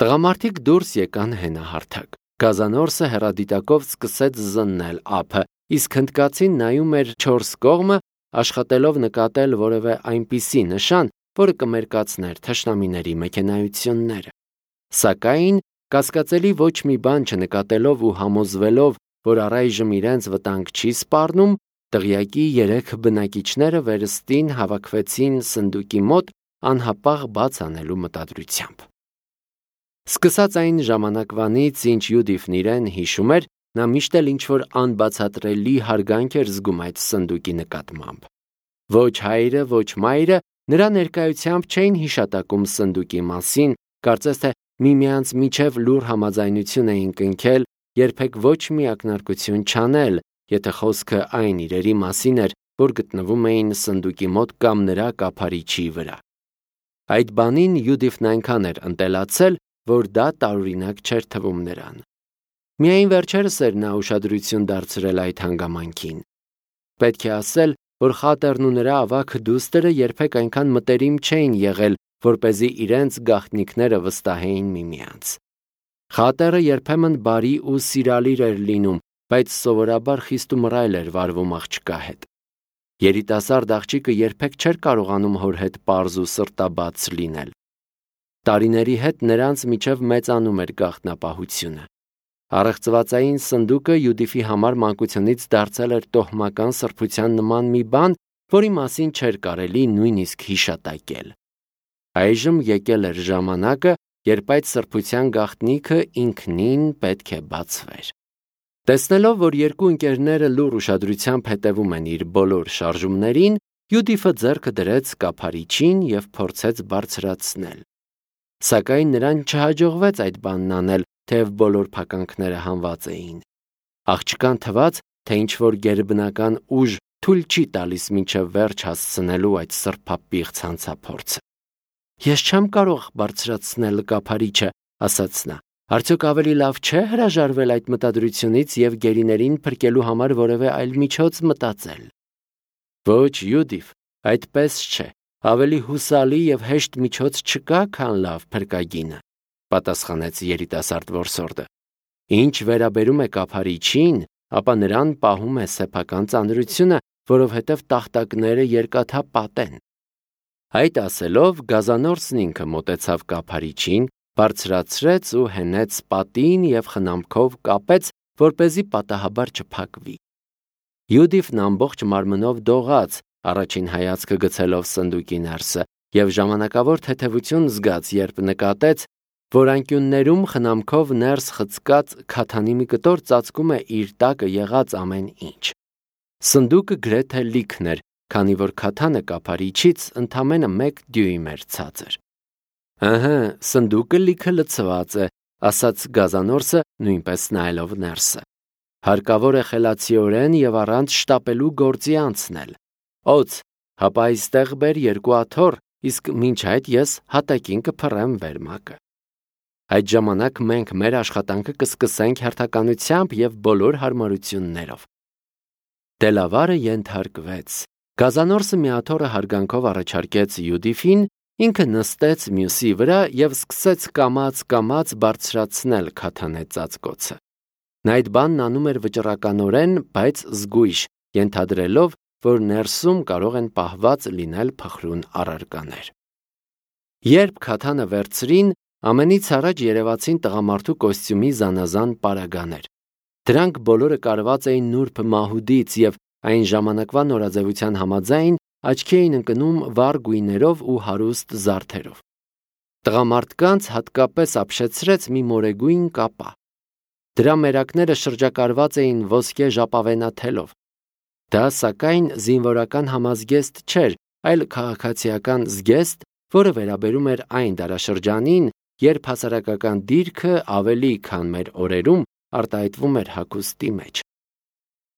Տղամարդիկ դուրս եկան հենահարթակ։ Գազանորսը հեռադիտակով սկսեց զննել ափը, իսկ հնդկացին նայում էր 4 կողմը, աշխատելով նկատել որևէ այնպիսի նշան, որը կմերկացներ թշնամիների մեքենայությունները։ Սակայն կասկածելի ոչ մի բան չնկատելով ու համոզվելով, որ առայժմ իրենց վտանգ չի սպառնում, դղյակի 3 բնակիչները վերստին հավաքվեցին սնդուկի մոտ անհապաղ բաց անելու մտադրությամբ։ Սկսած այն ժամանակվանից, ինչ Յուդիֆն իրեն հիշում էր, նա միշտ էլ ինչ-որ անբացատրելի հարգանք էր զգում այդ սնդուկի նկատմամբ։ Ոչ հայրը, ոչ մայրը նրա ներկայությամբ չէին հիշատակում սնդուկի մասին, կարծես թե միմյանց միջև լուր համաձայնություն էին կնքել, երբեք ոչ մի ակնարկություն չանել, եթե խոսքը այն իրերի մասին էր, որ գտնվում էին սնդուկի մոտ կամ նրա կափարիչի վրա։ Այդ բանին Յուդիֆն այնքան էր ընտելացել, որ դա տարօրինակ չէր թվում նրան։ Միայն վերջերս էր նա ուշադրություն դարձրել այդ հանգամանքին։ Պետք է ասել, որ Խատերն ու նրա ավագ դուստրը երբեք այնքան մտերիմ չէին եղել, որպեսզի իրենց գաղտնիքները վստահեին միմյանց։ Խատերը երբեմն բարի ու սիրալիր էր լինում, բայց սովորաբար խիստ ու մռայլ էր վարվում աղջկա հետ։ Երիտասարդ աղջիկը երբեք չէր կարողանում հոր հետ պարզ ու սրտաբաց լինել։ Տարիների հետ նրանց միջև մեծանում էր գաղտնապահությունը։ Առեղծվածային սնդուկը Յուդիֆի համար մանկությունից դարձել էր տոհմական սրբության նման մի բան, որի մասին չէր կարելի նույնիսկ հիշատակել։ Այժմ եկել էր ժամանակը, երբ այդ սրբության գաղտնիքը ինքնին պետք է բացվեր։ Տեսնելով, որ երկու ընկերները լուռ ուշադրությամբ հետևում են իր բոլոր շարժումներին, Յուդիֆը ձեռքը դրեց կափարիչին և փորձեց բարձրացնել։ Սակայն նրան չհաջողվեց այդ բանն անել, թեև բոլոր փականքները հանված էին։ Աղջկան թվաց, թե ինչ-որ գերբնական ուժ թույլ չի տալիս մինչև վերջ հասցնելու այդ սրբապիղծ հանցափորձը։ Ես չեմ կարող բարձրացնել կափարիչը, ասաց նա։ Արդյոք ավելի լավ չէ հրաժարվել այդ մտադրությունից և գերիներին փրկելու համար որևէ այլ միջոց մտածել։ Ոչ, Յուդիֆ, այդպես չէ։ Ավելի հուսալի և հեշտ միջոց չկա, քան լավ փրկագինը, պատասխանեց երիտասարդ որսորդը։ Ինչ վերաբերում է կափարիչին, ապա նրան պահում է սեփական ծանրությունը, որովհետև տախտակները երկաթապատ են։ Այդ ասելով, Գազանորսն ինքը մոտեցավ կափարիչին, բարձրացրեց ու հենեց պատին և խնամքով կապեց, որպեսզի պատահաբար չփակվի։ Յուդիֆն ամբողջ մարմնով դողաց, առաջին հայացքը գցելով սնդուկի ներսը, և ժամանակավոր թեթևություն զգաց, երբ նկատեց, որ անկյուններում խնամքով ներս խցկած քաթանի մի կտոր ծածկում է իր տակը եղած ամեն ինչ։ Սնդուկը գրեթե լիքն էր, քանի որ քաթանը կափարիչից ընդամենը 1 դյույմ էր ցածր։ Ըհը, սնդուկը լիքը լցված է, ասաց Գազանորսը, նույնպես նայելով ներսը։ Հարկավոր է խելացիորեն և առանց շտապելու գործի անցնել։ Օձ, հապա այստեղ բեր 2 աթոռ, իսկ մինչ այդ ես հատակին կփռեմ վերմակը։ Այդ ժամանակ մենք մեր աշխատանքը կսկսենք հերթականությամբ և բոլոր հարմարություններով։ Դելավարը ենթարկվեց։ Գազանորսը մի աթոռը հարգանքով առաջարկեց Յուդիֆին, ինքը նստեց մյուսի վրա և սկսեց կամաց բարձրացնել քաթանե ծածկոցը։ Նա այդ բանն անում էր վճռականորեն, բայց զգույշ, ենթադրելով, որ ներսում կարող են պահված լինել փխրուն առարկաներ։ Երբ քաթանը վերցրին, ամենից առաջ երևացին տղամարդու կոստյումի զանազան պարագաներ։ Դրանք բոլորը կարված էին նուրբ մահուդից և այն ժամանակվա նորաձևության համաձայն աչքի էին ընկնում վառ գույներով ու հարուստ զարդերով։ Տղամարդկանց հատկապես ապշեցրեց մի մորեգույն կապա։ Դրա մերակները շրջակարված էին ոսկե ժապավենաթելով։ Դա, սակայն, զինվորական համազգեստ չէր, այլ քաղաքացիական զգեստ, որը վերաբերում էր այն դարաշրջանին, երբ հասարակական դիրքը ավելի քան մեր օրերում արտահայտվում էր հագուստի մեջ։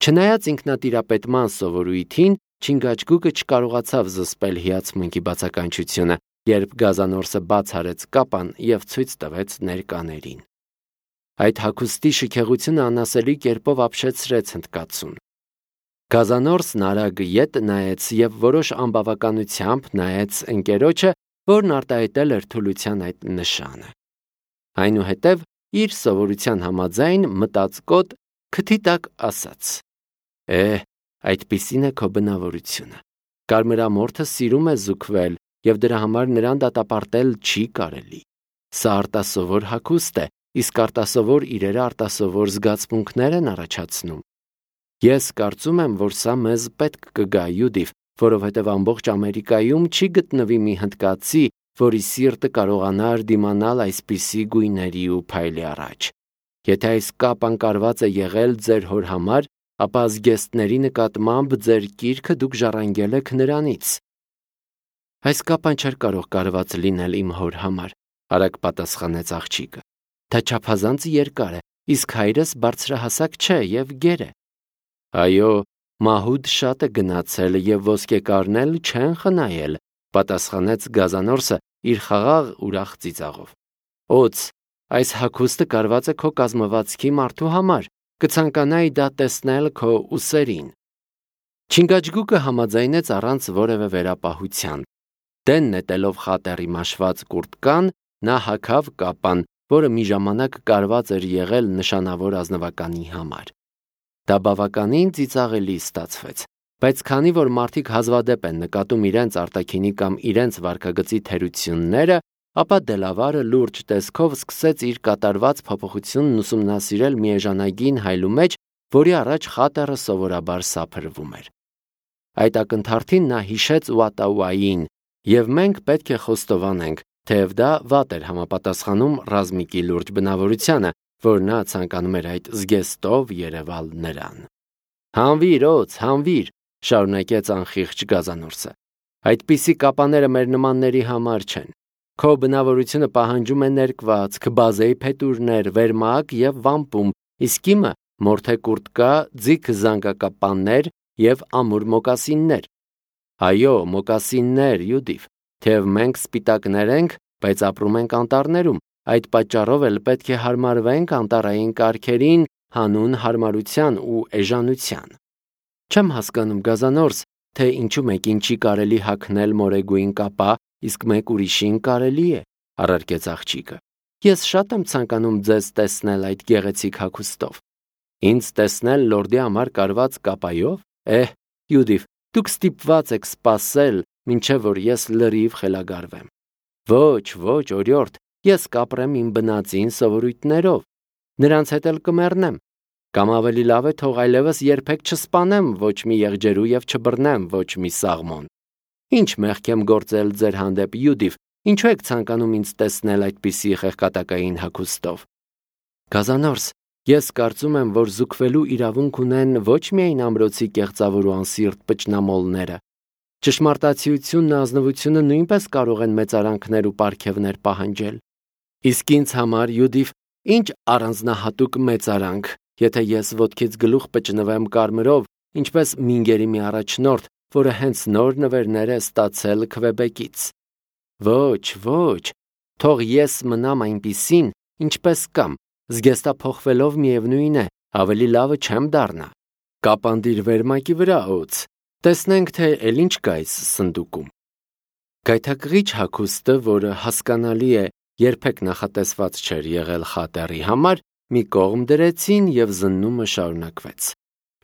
Չնայած ինքնատիրապետման սովորույթին, Չինգաչգուկը չկարողացավ զսպել հիացմունքի բացականչությունը, երբ Գազանորսը բաց արեց կապան և ցույց տվեց ներկաներին։ Այդ հագուստի շքեղությունը անասելի կերպով ապշեցրեց հնդկացուն։ Գազանորսն արագ ետ նայեց և որոշ անբավականությամբ նայեց ընկերոջը, որն արտահայտել էր թուլության այդ նշանը։ Այնուհետև իր սովորության համաձայն մտածկոտ քթի տակ ասաց. այդպիսին է քո բնավորությունը։ Կարմրամորթը սիրում է զուգվել և դրա համար նրան դատապարտել չի կարելի։ Սա արտասովոր հագուստ է, իսկ արտասովոր իրերը արտասովոր զգացմունքներ են առաջացնում։ Ես կարծում եմ, որ սա մեզ պետք կգա, Յուդիվ, որովհետև ամբողջ Ամերիկայում չի գտնվի մի հնդկացի, որի սիրտը կարողանար դիմանալ այսպիսի գույների ու փայլի առաջ։ Եթե այս կապն կարված է եղել ձեր հոր համար, ապա զգեստների նկատմամբ ձեր կիրքը դուք ժառանգել եք նրանից։ Այս կապն չէր կարող կարված լինել իմ հոր համար, արագ պատասխանեց աղջիկը։ Դա չափազանց երկար է, իսկ հայրս բարձրահասակ չէ և գեր է։ Այո, մահուդ շատ է գնացել և ոսկեկարն էլ չեն խնայել, պատասխանեց Գազանորսը իր խաղաղ ուրախ ծիծաղով։ Օց, այս հագուստը կարված է քո կազմվածքի մարդու համար, կցանկանայի դա տեսնել քո ուսերին։ Չինգաչգուկը համաձայնեց առանց որևէ վերապահության։ Դեն նետելով խատերի մաշված կուրտկան, նա հագավ կապան, որը մի ժամանակ կարված էր եղել նշանավոր ազնվականի համար։ Դա բավականին ծիծաղելի ստացվեց, բայց քանի որ մարդիկ հազվադեպ են նկատում իրենց արտաքինի կամ իրենց վարքագծի թերությունները, ապա Դելավարը լուրջ տեսքով սկսեց իր կատարված փոփոխությունն ուսումնասիրել մի էժանագին հայլու մեջ, որի առաջ խատերը սովորաբար սափրվում էր։ Այդ ակնթարթին նա հիշեց Ուատաուային, և մենք պետք է խոստովանենք, թեև դա վատ էր համապատասխանում Ռազմիկի լուրջ բնավորությանը, որ նա ցանկանում էր այդ զգեստով երևալ նրան։ Հանվիր, օց, հանվիր, շարունակեց անխիղճ Գազանորսը։ Այդպիսի կապաները մեր նմանների համար չեն։ Քո բնավորությունը պահանջում է ներկվածք, բազեի փետուրներ, վերմակ և վամպում, իսկ իմը մորթե կուրտկա, ձիգ զանգակապաններ և ամուր մոկասիններ։ Այո, մոկասիններ, Յուդիվ, թեև մենք սպիտակներ ենք, բայց ապրում ենք անտառներում, այդ պատճառով էլ պետք է հարմարվենք անտառային կարգերին հանուն հարմարության ու էժանության։ Չեմ հասկանում, Գազանորս, թե ինչու մեկին չի կարելի հագնել մորեգույն կապա, իսկ մեկ ուրիշին կարելի է, առարկեց աղջիկը։ Ես շատ եմ ցանկանում ձեզ տեսնել այդ գեղեցիկ հագուստով։ Ինձ տեսնել լորդի համար կարված կապայով։ Յուդիվ, դուք ստիպված եք սպասել, մինչև որ ես լրիվ խելագարվեմ։ Ոչ, օրիորդ, ես կապրեմ իմ բնածին սովորույթներով, նրանց հետ էլ կմեռնեմ, կամ ավելի լավ է թող այլևս երբեք չսպանեմ ոչ մի եղջերու և չբռնեմ ոչ մի սաղմոն։ Ինչ մեղք եմ գործել ձեր հանդեպ, Յուդիվ, ինչու եք ցանկանում ինձ տեսնել այդպիսի խեղկատակային հագուստով։ Գազանորս, ես կարծում եմ, որ զուգվելու իրավունք ունեն ոչ միայն ամրոցի կեղծավոր ու անսիրտ պճնամոլները։ Ճշմարտացիությունն ու ազնվությունը նույնպես կարող են մեծարանքներ ու պարգևներ պահանջել։ Իսկ ինձ համար, Յուդիվ, ինչ առանձնահատուկ մեծարանք, եթե ես ոտքից գլուխ պճնվեմ կարմրով, ինչպես Մինգերի մի առաջնորդ, որը հենց նոր նվերներ է ստացել Քվեբեկից։ Ոչ, թող ես մնամ այնպիսին, ինչպես կամ, զգեստափոխվելով միևնույն է, ավելի լավը չեմ դառնա։ Կապանդիր վերմակի վրա, օց, տեսնենք, թե էլ ինչ կա այս սնդուկում։ Գայթակղիչ հագուստը, որը հասկանալի է, երբեք նախատեսված չէր եղել խատերի համար, մի կողմ դրեցին և զննումը շարունակվեց։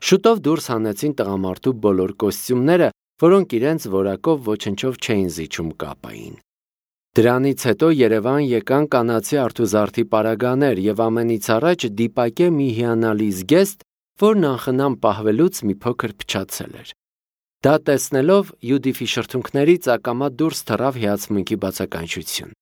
Շուտով դուրս հանեցին տղամարդու բոլոր կոստյումները, որոնք իրենց որակով ոչնչով չէին զիջում կապային։ Դրանից հետո Երևան եկան կանացի արթուզարդի պարագաներ և ամենից առաջ դիպակե մի հիանալի զգեստ, որն անխնամ պահվելուց մի փոքր փչացել էր։ Դա տեսնելով Յուդիֆի շրթունքներից ակամա դուրս թռավ հիացմունքի բացականչություն։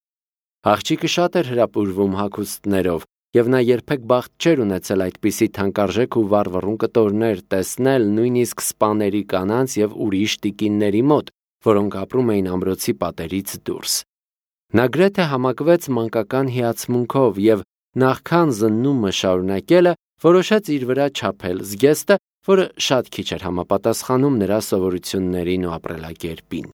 Աղջիկը շատ էր հրապուրվում հագուստներով, և նա երբեք բախտ չէր ունեցել այդպիսի թանկարժեք ու վառվռուն կտորներ տեսնել նույնիսկ սպաների կանանց և ուրիշ տիկինների մոտ, որոնք ապրում էին ամրոցի պատերից դուրս։ Նա գրեթե համակվեց մանկական հիացմունքով և նախքան զննումը շարունակելը որոշեց իր վրա չափել զգեստը, որը շատ քիչ էր համապատասխանում նրա սովորություններին ու ապրելակերպին։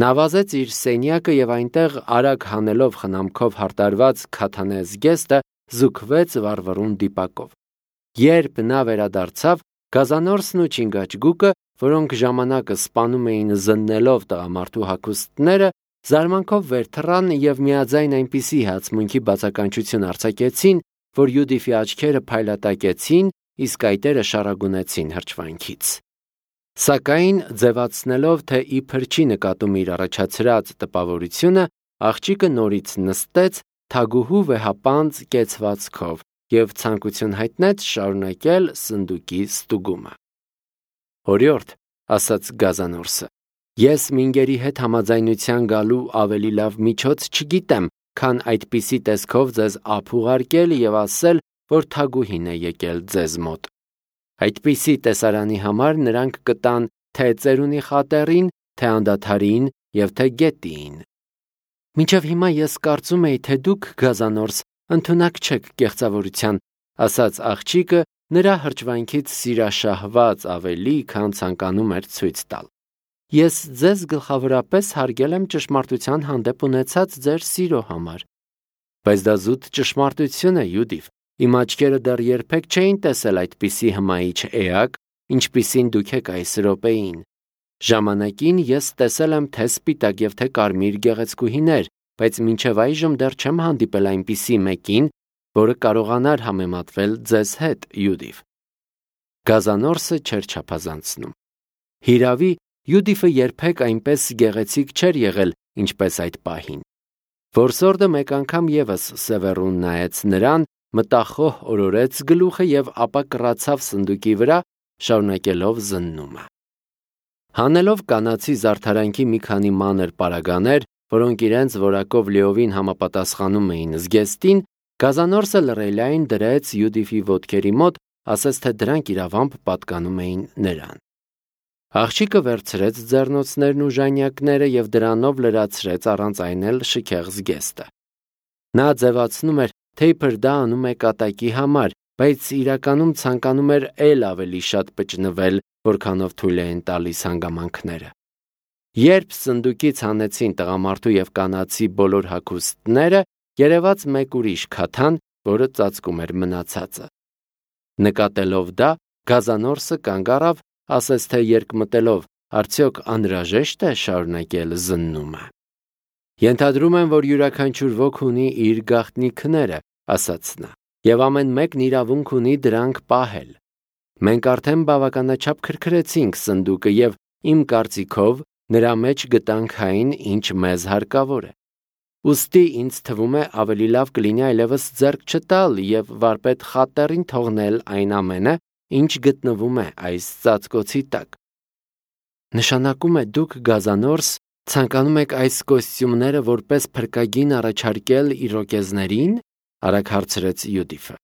Նա վազեց իր սենյակը և այնտեղ արագ հանելով խնամքով հարդարված քաթանե զգեստը զուգվեց վառվռուն դիպակով։ Երբ նա վերադարձավ, Գազանորսն ու Չինգաչգուկը, որոնք ժամանակը սպանում էին զննելով տղամարդու հագուստները, զարմանքով վեր թռան և միաձայն այնպիսի հացմունքի բացականչություն արձակեցին, որ Յուդիֆի աչքերը փայլատակեցին, իսկ այտերը շարագունեցին հրճվանքից։ Սակայն ձևացնելով, թե իբր չի նկատում իր առաջացրած տպավորությունը, աղջիկը նորից նստեց թագուհու վեհապանծ կեցվածքով և ցանկություն հայտնեց շարունակել սնդուկի ստուգումը։ «Օրիորդ», ասաց գազանորսը, «ես մինգերի հետ համաձայնության գալու ավելի լավ միջոց չգիտեմ, քան այդպիսի տեսքով ձեզ ափ ուղարկել և ասել, որ թագուհին է եկել ձեզ մոտ։ Այդպիսի տեսարանի համար նրանք կտան թե ծերունի խատեռին, թե անդադարին և թե գետին։ Մինչև հիմա ես կարծում էի, թե դուք, գազանորս, ընդունակ չեք կեղծավորության», ասաց աղջիկը, նրա հրճվանքից սիրաշահված ավելի, քան ցանկանում էր ցույց տալ։ «Ես ձեզ գլխավորապես հարգել եմ ճշմարտության հանդեպ ունեցած ձեր սիրո համար»։ «Բայց դա զուտ ճշմարտություն է, Յուդիֆ, իմ աչքերը դեռ երբեք չէին տեսել այդպիսի հմայիչ էակ, ինչպիսին դուք եք այս րոպեին։ Ժամանակին ես տեսել եմ թե սպիտակ և թե կարմիր գեղեցկուհիներ, բայց մինչև այժմ դեռ չեմ հանդիպել այնպիսի մեկին, որը կարողանար համեմատվել ձեզ հետ, Յուդիֆ»։ Գազանորսը չէր չափազանցնում։ Հիրավի, Յուդիֆը երբեք այնպես գեղեցիկ չէր եղել, ինչպես այդ պահին։ Որսորդը մեկ անգամ ևս սևեռուն նայեց նրան, մտախոհ օրորեց գլուխը և ապա կռացավ սնդուկի վրա, շարունակելով զննումը։ Հանելով կանացի զարդարանքի մի քանի մանր պարագաներ, որոնք իրենց որակով լիովին համապատասխանում էին զգեստին, գազանորսը լռելիայն դրեց Յուդիֆի ոտքերի մոտ, ասաց, թե դրանք իրավամբ պատկանում էին նրան։ Աղջիկը վերցրեց ձեռնոցներն ու ժանյակները և դրանով լրացրեց առանց այն էլ շքեղ զգեստը։ Նա ձևացնում էր, թե իբր դա անում է կատակի համար, բայց իրականում ցանկանում էր էլ ավելի շատ պճնվել, որքանով թույլ էին տալիս հանգամանքները։ Երբ սնդուկից հանեցին տղամարդու և կանացի բոլոր հագուստները, երևաց մեկ ուրիշ քաթան, որը ծածկում էր մնացածը։ Նկատելով դա, գազանորսը կանգ առավ, ասաց, թե երկմտելով, արդյոք անհրաժեշտ է շարունակել զննումը։ «Ենթադրում եմ, որ յուրաքանչյուր ոք ունի իր գաղտնիքները», ասաց նա, «և ամեն մեկն իրավունք ունի դրանք պահել։ Մենք արդեն բավականաչափ քրքրեցինք սնդուկը և, իմ կարծիքով, նրա մեջ գտանք այն, ինչ մեզ հարկավոր է։ Ուստի ինձ թվում է ավելի լավ կլինի այլևս ձեռք չտալ և վարպետ խատեռին թողնել այն ամենը, ինչ գտնվում է այս ծածկոցի տակ»։ «Նշանակում է դուք, գազանորս, ցանկանում եք այս կոստյումները որպես փրկագին առաջարկել իրոկեզներին», արագ հարցրեց Յուդիֆը։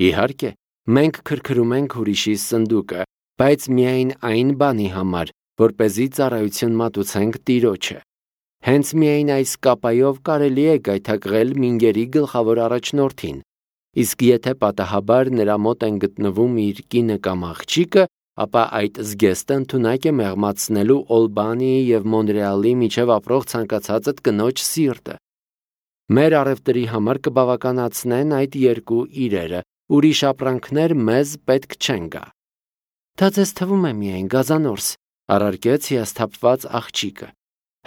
«Իհարկե, մենք քրքրում ենք ուրիշի սնդուկը, բայց միայն այն բանի համար, որպեսզի ծառայություն մատուցենք Տիրոջը։ Հենց միայն այս կապայով կարելի է գայթակղել մինգերի գլխավոր առաջնորդին, իսկ եթե պատահաբար նրա մոտ են գտնվում իր կինը կամ աղջիկը, ապա այդ զգեստը ընդունակ է մեղմացնելու Օլբանիի և Մոնրեալի միջև ապրող ցանկացածդ կնոջ սիրտը։ Մեր առևտրի համար կբավականացնեն այդ երկու իրերը, ուրիշ ապրանքներ մեզ պետք չեն գա»։ «Դա ձեզ թվում է միայն, գազանորս», առարկեց հիասթափված աղջիկը։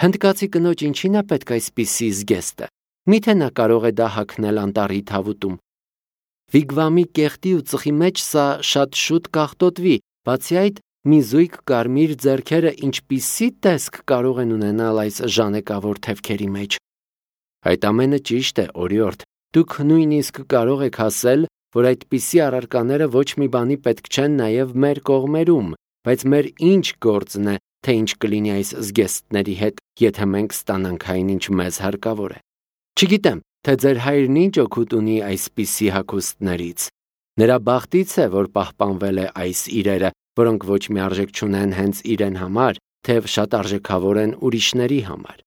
«Հնդկացի կնոջ ինչին է պետք այսպիսի զգեստը։ Միթե նա կարող է դա հագնել անտառի թավուտում։ Վիգվամի կեղտի ու ծխի մեջ սա շատ շուտ կաղտոտվի, բացի այդ, մի զույգ կարմիր ձեռքերը ինչպիսի տեսք կարող են ունենալ այս ժանեկավոր թևքերի մեջ»։ «Այդ ամենը ճիշտ է, օրիորդ, դուք նույնիսկ կարող եք ասել, որ այդպիսի առարկաները ոչ մի բանի պետք չեն նաև մեր կողմերում, բայց մեր ինչ գործն է, թե ինչ կլինի այս զգեստների հետ, եթե մենք ստանանք այն, ինչ մեզ հարկավոր է։ Չգիտեմ, թե ձեր հայրն ինչ օգուտ ունի այսպիսի հագուստներից։ Նրա բախտից է, որ պահպանվել է այս իրերը, որոնք ոչ մի արժեք չունեն հենց իրեն համար, թեև շատ արժեքավոր են ուրիշների համար։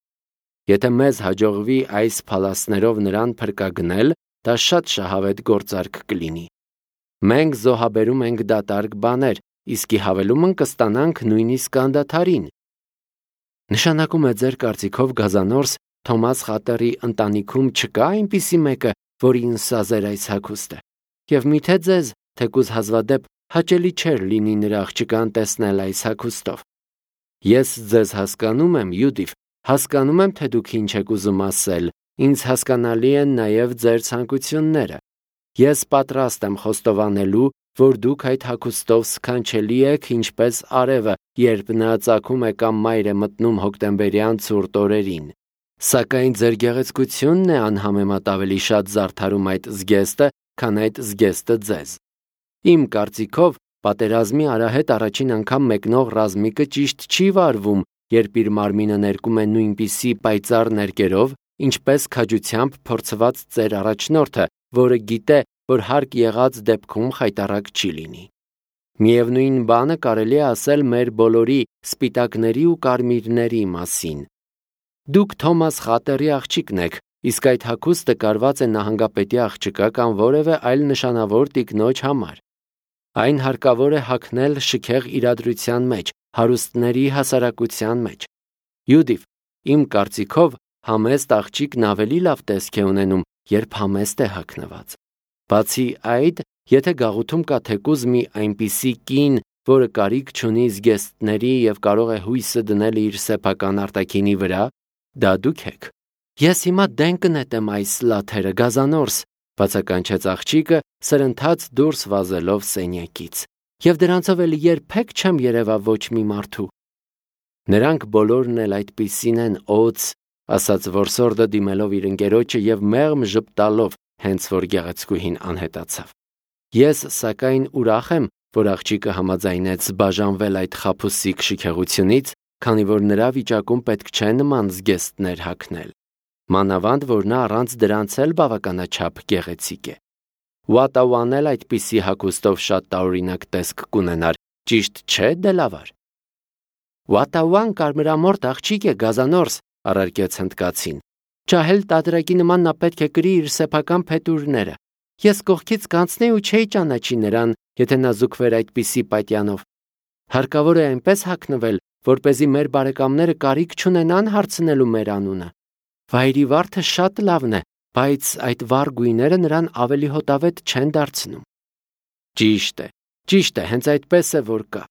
Եթե մեզ հաջողվի այս փալասներով նրան փրկագնել, դա շատ շահավետ գործարք կլինի։ Մենք զոհաբերում ենք դատարկ բաներ, իսկ ի հավելումն կստանանք նույնիսկ անդադարին։ Նշանակում է ձեր կարծիքով, գազանորս, Թոմաս խատերի ընտանիքում չկա այնպիսի մեկը, որին սազեր այս հագուստը, և միթե ձեզ, թեկուզ հազվադեպ, հաճելի չէր լինի նրա աղջկան տեսնել այս հագուստով։ Ես ձեզ հասկանում եմ, Յուդիֆ, Հասկանում եմ, թե դուք ինչ եք ուզում ասել, ինձ հասկանալի են նաև ձեր ցանկությունները։ Ես պատրաստ եմ խոստովանելու, որ դուք այդ հագուստով սքանչելի եք, ինչպես արևը, երբ նա ծագում է կամ մայր է մտնում հոկտեմբերյան ցուրտ օրերին։ Սակայն ձեր գեղեցկությունն է անհամեմատ ավելի շատ զարդարում այդ զգեստը, քան այդ զգեստը ձեզ։ Իմ կարծիքով, պատերազմի արահետ առաջին անգամ մեկնող ռազմիկը ճիշտ չի վարվում, երբ իր մարմինը ներկում է նույնպիսի պայծառ ներկերով, ինչպես քաջությամբ փորձված ծեր առաջնորդը, որը գիտե, որ հարկ եղած դեպքում խայտառակ չի լինի։ Միևնույն բանը կարելի է ասել մեր բոլորի սպիտակների ու կարմիրների մասին։ Դուք Թոմաս Խատերի աղջիկն եք, իսկ այդ հագուստը կարված է նահանգապետի աղջկա կամ որևէ այլ նշանավոր տիկնոջ համար։ Այն հարկավոր է հագնել շքեղ իրադրության մեջ, հարուստների հասարակության մեջ։ Յուդիվ, իմ կարծիքով, համեստ աղջիկն ավելի լավ տեսք է ունենում, երբ համեստ է հագնված։ Բացի այդ, եթե գաղութում կա թեկուզ մի այնպիսի կին, որը կարիք չունի զգեստների եւ կարող է հույսը դնել իր սեփական արտաքինի վրա, դա դուք եք։ Ես հիմա դեն կնետեմ այս լաթերը, Գազանորս, բացականչեց աղջիկը, սրընթաց դուրս վազելով սենյակից։ Եվ դրանցով էլ երբեք չեմ երևա ոչ մի մարդու։ Նրանք բոլորն էլ այդպիսին են, օց, ասաց որսորդը դիմելով իր ընկերոջը եւ մեղմ ժպտալով, հենց որ գեղեցկուհին անհետացավ։ Ես սակայն ուրախ եմ, որ աղջիկը համաձայնեց բաժանվել այդ խաբուսիկ շքեղությունից, քանի որ նրա վիճակում պետք չէ նման զգեստներ հագնել։ Մանավանդ, որ նա առանց դրանց էլ բավականաչափ գեղեցիկ է։ Ուատաուան էլ այդպիսի հագուստով շատ տարօրինակ տեսք կունենար, ճիշտ չէ, Դելավար։ Ուատաուան կարմրամորթ աղջիկ է, Գազանորս, առարկեց հնդկացին։ Ջահել տատրակի նման նա պետք է կրի իր սեփական փետուրները։ Ես կողքից կանցնեի ու չէի ճանաչի նրան, եթե նա զուգվեր այդպիսի պատյանով։ Հարկավոր է այնպես հագնվել, որպեսզի մեր բարեկամները կարիք չունենան հարցնելու մեր անունը։ Վայրի վարդը շատ լավն է, բայց այդ վառ գույները նրան ավելի հոտավետ չեն դարձնում։ Ճիշտ է, հենց այդպես է որ կա։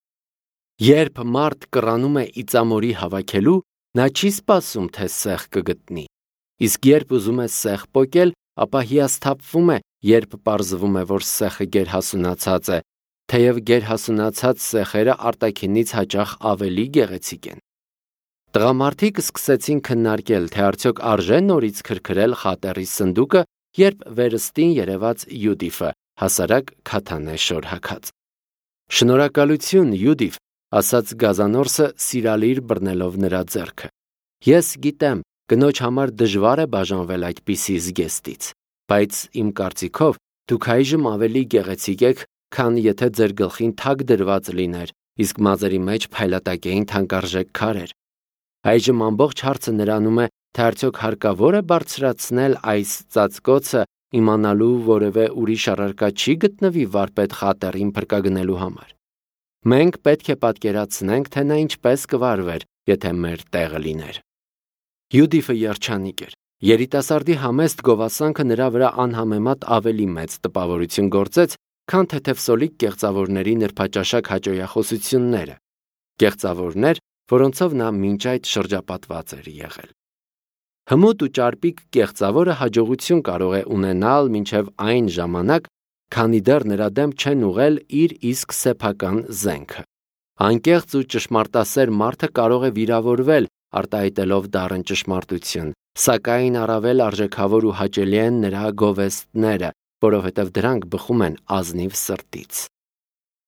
Երբ մարդ կռանում է իծամորի հավաքելու, նա չի սպասում, թե սեղ կգտնի։ Իսկ երբ ուզում է սեղ պոկել, ապա հիասթափվում է, երբ պարզվում է, որ սեխը գերհասունացած է, թեև գերհասունացած սեխերը արտաքինից հաճախ ավելի գեղեցիկ են։ Տղամարդիկ սկսեցին քննարկել, թե արդյոք արժե նորից քրքրել Խատերի սնդուկը, երբ վերստին երևաց Յուդիֆը, հասարակ քաթանե շորհակած։ Շնորհակալություն, Յուդիֆ, ասաց Գազանորսը սիրալիր բռնելով նրա ձեռքը։ Ես գիտեմ, կնոջ համար դժվար է բաժանվել այդպիսի զգեստից, բայց իմ կարծիքով դուք այժմ ավելի գեղեցիկ եք, քան եթե ձեր գլխին թագ դրված լիներ, իսկ մազերի մեջ փայլատակեին թանկարժեք քարեր։ Այժմ ամբողջ հարցը նրանում է, թե արդյոք հարկավոր է բարձրացնել այս ծածկոցը, իմանալու որևէ ուրիշ առարկա չի գտնվի վարպետ Խատերին փրկագնելու համար։ Մենք պետք է պատկերացնենք, թե նա ինչպես կվարվեր, եթե մեր տեղը լիներ։ Յուդիֆը երջանիկ էր։ Երիտասարդի համեստ գովասանքը նրա վրա անհամեմատ ավելի մեծ տպավորություն գործեց, քան թեթևսոլիկ կեղծավորների նրբաճաշակ հաճոյախոսությունները։ Կեղծավորներ, որոնցով նա մինչ այդ շրջապատված էր եղել։ Հմուտ ու ճարպիկ կեղծավորը հաջողություն կարող է ունենալ մինչև այն ժամանակ, քանի դեռ նրա դեմ չեն ուղղել իր իսկ սեփական զենքը։ Անկեղծ ու ճշմարտասեր մարդը կարող է վիրավորվել, արտահայտելով դառն ճշմարտություն, սակայն առավել արժեքավոր ու հաճելի են նրա գովեստները, որովհետև դրանք բխում են ազնիվ սրտից։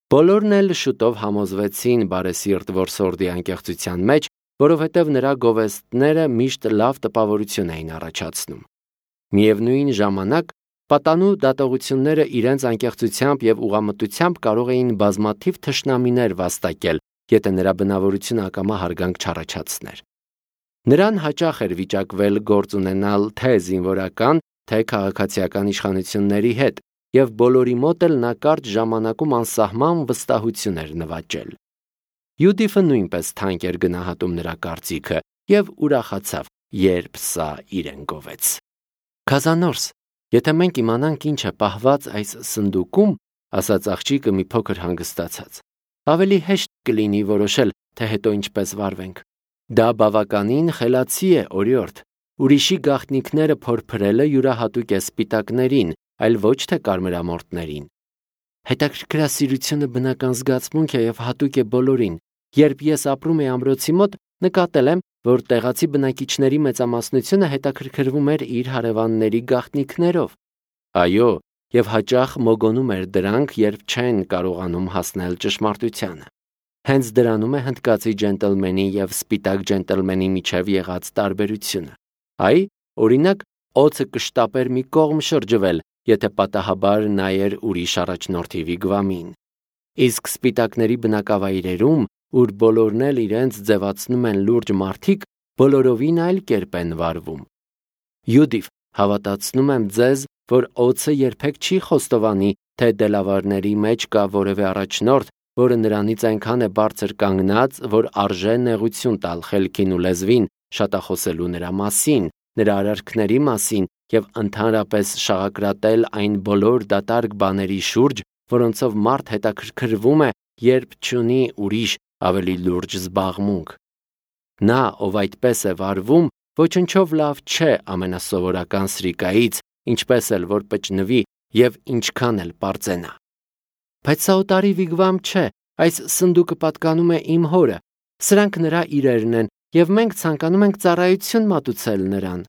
Բոլորն էլ շուտով համոզվեցին բարեսիրտ որսորդի անկեղծության մեջ, որովհետև նրա գովեստները միշտ լավ տպավորություն էին առաջացնում։ Միևնույն ժամանակ, պատանու դատողությունները իրենց անկեղծությամբ եւ ուղղամտությամբ կարող էին բազմաթիվ թշնամիներ վաստակել, եթե նրա բնավորությունը ակամա հարգանք չառաջացներ։ Նրան հաճախ էր վիճակվել գործ ունենալ թե զինվորական, թե քաղաքացիական իշխանությունների հետ, եւ բոլորի մոտ էլ նա կարճ ժամանակում անսահման վստահություն էր նվաճել։ Յուդիֆը նույնպես թանկ էր գնահատում նրա կարծիքը եւ ուրախացավ, երբ սա իրեն գովեց։ Գազանորս, եթե մենք իմանանք ինչ է պահված այս սնդուկում, ասաց աղջիկը մի փոքր հանգստացած, ավելի հեշտ կլինի որոշել, թե հետո ինչպես վարվենք։ Դա բավականին խելացի է, օրիորդ։ Ուրիշի գաղտնիքները փորփրելը յուրահատուկ է սպիտակներին, այլ ոչ թե կարմրամորթներին։ Հետաքրքրասիրությունը բնական զգացմունք է և հատուկ է բոլորին։ Երբ ես ապրում էի ամրոցի մոտ, նկատել եմ, որ տեղացի բնակիչների մեծամասնությունը հետաքրքրվում էր իր հարևանների գաղտնիքներով։ Այո, և հաճախ մոգոնում էր դրանք, երբ չեն կարողանում հասնել ճշմարտությանը։ Հենց դրանում է հնդկացի ջենտլմենի և սպիտակ ջենտլմենի միջև եղած տարբերությունը։ Այ, օրինակ, օձը կշտապեր մի կողմ շրջվել, եթե պատահաբար նայեր ուրիշ առաջնորդի վիգվամին։ Իսկ սպիտակների բնակավայրերում, ուր բոլորն էլ իրենց ձևացնում են լուրջ մարդիկ, բոլորովին այլ կերպ են վարվում։ Յուդիվ, հավատացնում եմ ձեզ, որ օձը երբեք չի խոստովանի, թե դելավարների մեջ կա որևէ առաջնորդ, որը նրանից այնքան է բարձր կանգնած, որ արժե նեղություն տալ խելքին ու լեզվին, շատախոսելու նրա մասին, նրա արարքների մասին և ընդհանրապես շաղակրատել այն բոլոր դատարկ բաների շուրջ, որոնցով մարդ հետաքրքրվում է, երբ չունի ուրիշ ավելի լուրջ զբաղմունք։ Նա, ով այդպես է վարվում, ոչնչով լավ չէ ամենասովորական սրիկայից, ինչպես էլ որ պճնվի և ինչքան էլ պարծենա։ Բայց սա օտարի վիգվամ չէ, այս սնդուկը պատկանում է իմ հորը, սրանք նրա իրերն են, և մենք ցանկանում ենք ծառայություն մատուցել նրան։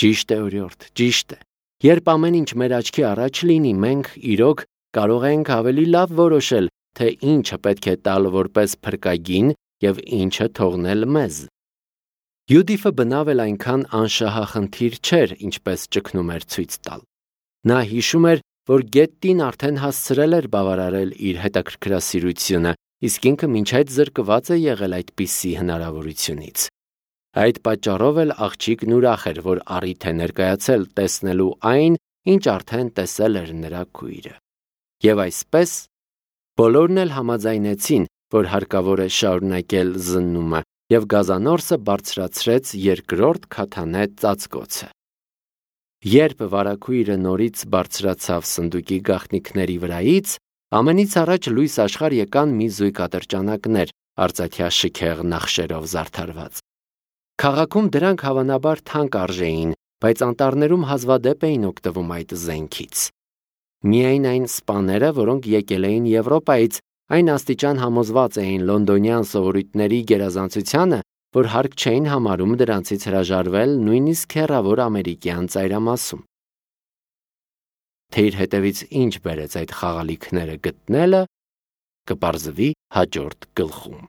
Ճիշտ է, օրիորդ, ճիշտ է։ Երբ ամեն ինչ մեր աչքի առաջ լինի, մենք, իրոք, կարող ենք ավելի լավ որոշել, թե ինչը պետք է տալ որպես փրկագին և ինչը թողնել մեզ։ Յուդիֆը բնավ էլ այնքան անշահախնդիր չէր, ինչպես ճգնում էր ցույց տալ։ Նա հիշում էր, որ գետտին արդեն հասցրել էր բավարարել իր հետաքրքրասիրությունը, իսկ ինքը մինչ այդ զրկված է եղել այդպիսի հնարավորությունից։ Այդ պատճառով էլ աղջիկն ուրախ էր, որ առիթ է ներկայացել տեսնելու այն, ինչ արդեն տեսել էր նրա քույրը։ Եվ այսպես, բոլորն էլ համաձայնեցին, որ հարկավոր է շարունակել զննումը, և գազանորսը բարձրացրեց երկրորդ քաթանե ծածկոցը։ Երբ վարագույրը նորից բարձրացավ սնդուկի գաղտնիքների վրայից, ամենից առաջ լույս աշխարհ եկան մի զույգ ատրճանակներ, արծաթյա շքեղ նախշերով զարդարված։ Քաղաքում դրանք հավանաբար թանկ արժեին, բայց անտառներում հազվադեպ էին օգտվում այդ զենքից։ Միայն այն սպաները, որոնք եկել էին Եվրոպայից, այն աստիճան համոզված էին լոնդոնյան սովորույթների գերազանցությանը, որ հարկ չէին համարում դրանցից հրաժարվել նույնիսկ հեռավոր ամերիկյան ծայրամասում։ Թե իր հետևից ինչ բերեց այդ խաղալիքները գտնելը, կպարզվի հաջորդ գլխում։